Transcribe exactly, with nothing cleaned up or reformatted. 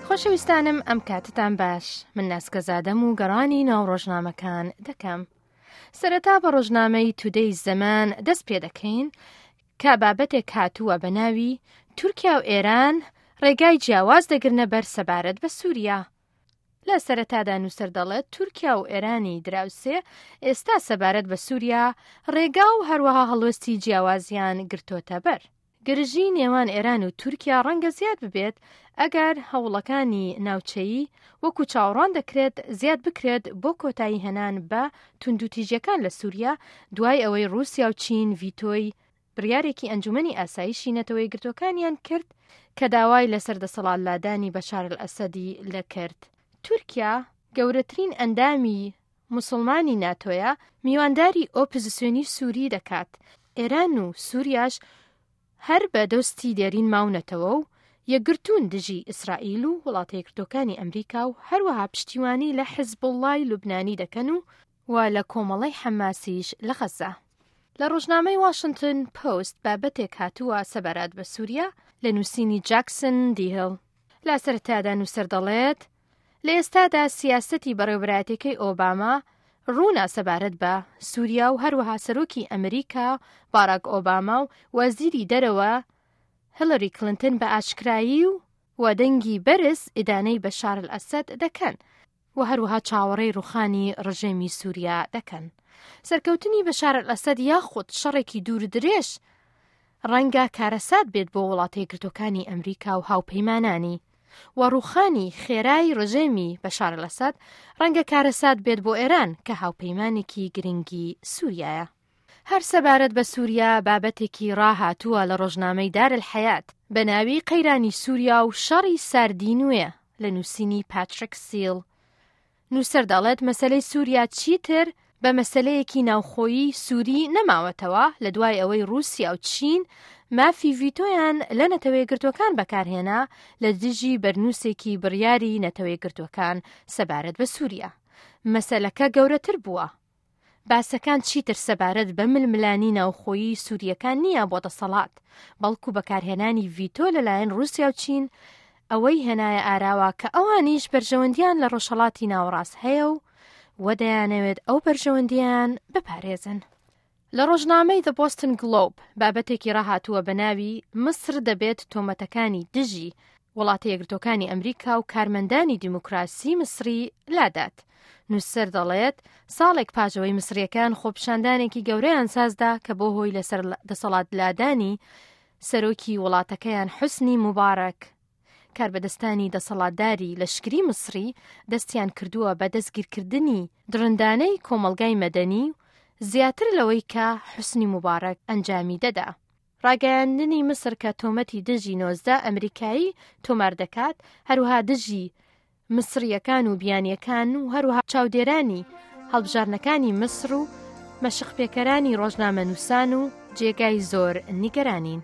خۆشەویستانم، ئەم کاتتان باش. من ناسکەزادەم و گەڕانی ناو ڕۆژنامەکان دەکەم. سەرەتا بە ڕۆژنامەی تودەی زەمان دەست پێ دەکەین کە بابەتێک هاتووە بە ناوی تورکیا و ئێران ڕێگای جیاواز دەگرنە بەر سەبارەت بە سووریا. لە سەرەتادا نووسەر دەڵێت تورکیا و ئێرانی دراوسێ ئێستا سەبارەت بە سووریا ڕێگا و هەروەها هەڵوێستی جیاوازیان گرتۆتە بەر. گرژی نێوان ئێران و تورکیا ڕەنگە زیاد ببێت ئەگەر هەوڵەکانی ناوچەیی وەکو چاوەڕوان دەکرێت زیاد بکرێت بۆ کۆتایی هێنان بە توندوتیژیەکان لە سووریا دوای ئەوەی ڕووسیا و چین ڤیتۆی بڕیارێکی ئەنجومەنی ئاسایشی نەتەوە یەکگرتووەکانیان کرد کە داوای لەسەر دەسەڵات لادانی بەشار ئەلئەسەدی لەکرد. تورکیا گەورەترین ئەندامی مسلمانی ناتۆیە، میوانداری ئۆپۆزیسیۆنی سووری دەکات. ئێران و سووریاش هەر بە دۆستی دێرین ماونەتەوە و یەکگرتوون دژی ئیسرائیل و وڵاتە یەکگرتووەکانی ئەمریکا و هەروەها پشتیوانی لە حزبوڵڵای لوبنانی دەکەن و و لە کۆمەڵەی حەماسیش لە غەزە. لە ڕۆژنامەی واشنگتن پۆست بابەتێک هاتووە سەبارەت بە سووریا لە نووسینی جاکسن دیهڵ. لە سەرەتادا نووسەر دەڵێت لە ئێستادا سیاسەتی بەڕێوەبەرایەتیەکەی ئۆباما ڕوونە سەبارەت بە سووریا و هەروەها سەرۆکی ئەمریکا باراک ئۆباما و وەزیری دەرەوە هیلاری کلینتن بە ئاشکرایی و وەدەنگی بەرز ئیدانەی بەشار ئەلئەسەد دەکەن و هەروەها چاوەڕێی ڕوخانی ڕژێمی سووریا دەکەن. سەرکەوتنی بەشار ئەلئەسەد یاخود شەڕێکی دوور درێژ ڕەنگە کارەسات بێت بۆ وڵاتە یەکگرتووەکانی ئەمریکا و هاوپەیمانانی و ڕوخانی خێرای ڕژێمی بەشار ئەلئەسەد ڕەنگە کارەسات بێت بۆ ئێران کە هاوپەیمانێکی گرنگی سووریایە. هەر سەبارەت بە سووریا بابەتێکی ڕاهاتووە لە ڕۆژنامەی دار الحیات بە ناوی قەیرانی سووریا و شەڕی ساردی نوێ لە نووسینی پاتریک سیل. نووسەر دەڵێت مەسەلەی سووریا چیتر بە مەسەلەیەکی ناوخۆیی سووری نەماوەتەوە لە دوای ئەوەی ڕووسیا و چین مافی ڤیتۆیان لە نەتەوە یەکگرتووەکان بەکارهێنا لە دژی بەرنووسێکی بڕیاری نەتەوە یەکگرتووەکان سەبارەت بە سووریا. مەسەلەکە گەورەتر بووە. باسەکان چیتر سەبارەت بە ململانی ناوخۆیی سووریەکان نییە بۆ دەسەڵات، بەڵکو بەکارهێنانی ڤیتۆ لەلایەن ڕووسیا و چین ئەوەی هێنایە ئاراوە کە ئەوانیش بەرژەوەندیان لە ڕۆژهەڵاتی ناوەڕاست هەیە و وە دەیانەوێت ئەو بەرژەوەندیان بپارێزن. لە ڕۆژنامەی The Boston Globe بابەتێکی ڕاهاتووە بە ناوی میسر دەبێت تۆمەتەکانی دژی وڵاتە یەکگرتووەکانی ئەمریکا و کارمەندانی دیموکراسی میسری لادات. نووسەر دەڵێت ساڵێک پاش ئەوەی میسریەکان خۆپیشاندانێکی گەورەیان سازدا کە بۆ هۆی لەسەر دەسەڵات لادانی سەرۆکی وڵاتەکەیان حوسنی موبارەک، کاربەدەستانی دەسەڵاتداری لەشکری میسری دەستیان کردووە بە دەستگیرکردنی دڕندانەی کۆمەڵگای مەدەنی و زیاتر لەوەی کە حوسنی موبارەک ئەنجامی دەدا. ڕاگەیاندنی میسر کە تۆمەتی دژی نۆزدە ئەمریکایی تۆمار دەکات، هەروەها دژی میسریەکان و بیانیەکان و هەروەها چاودێرانی هەڵبژاردنەکانی میسر و مەشقپێکەرانی ڕۆژنامەنووسان و جێگای زۆر نیگەرانین.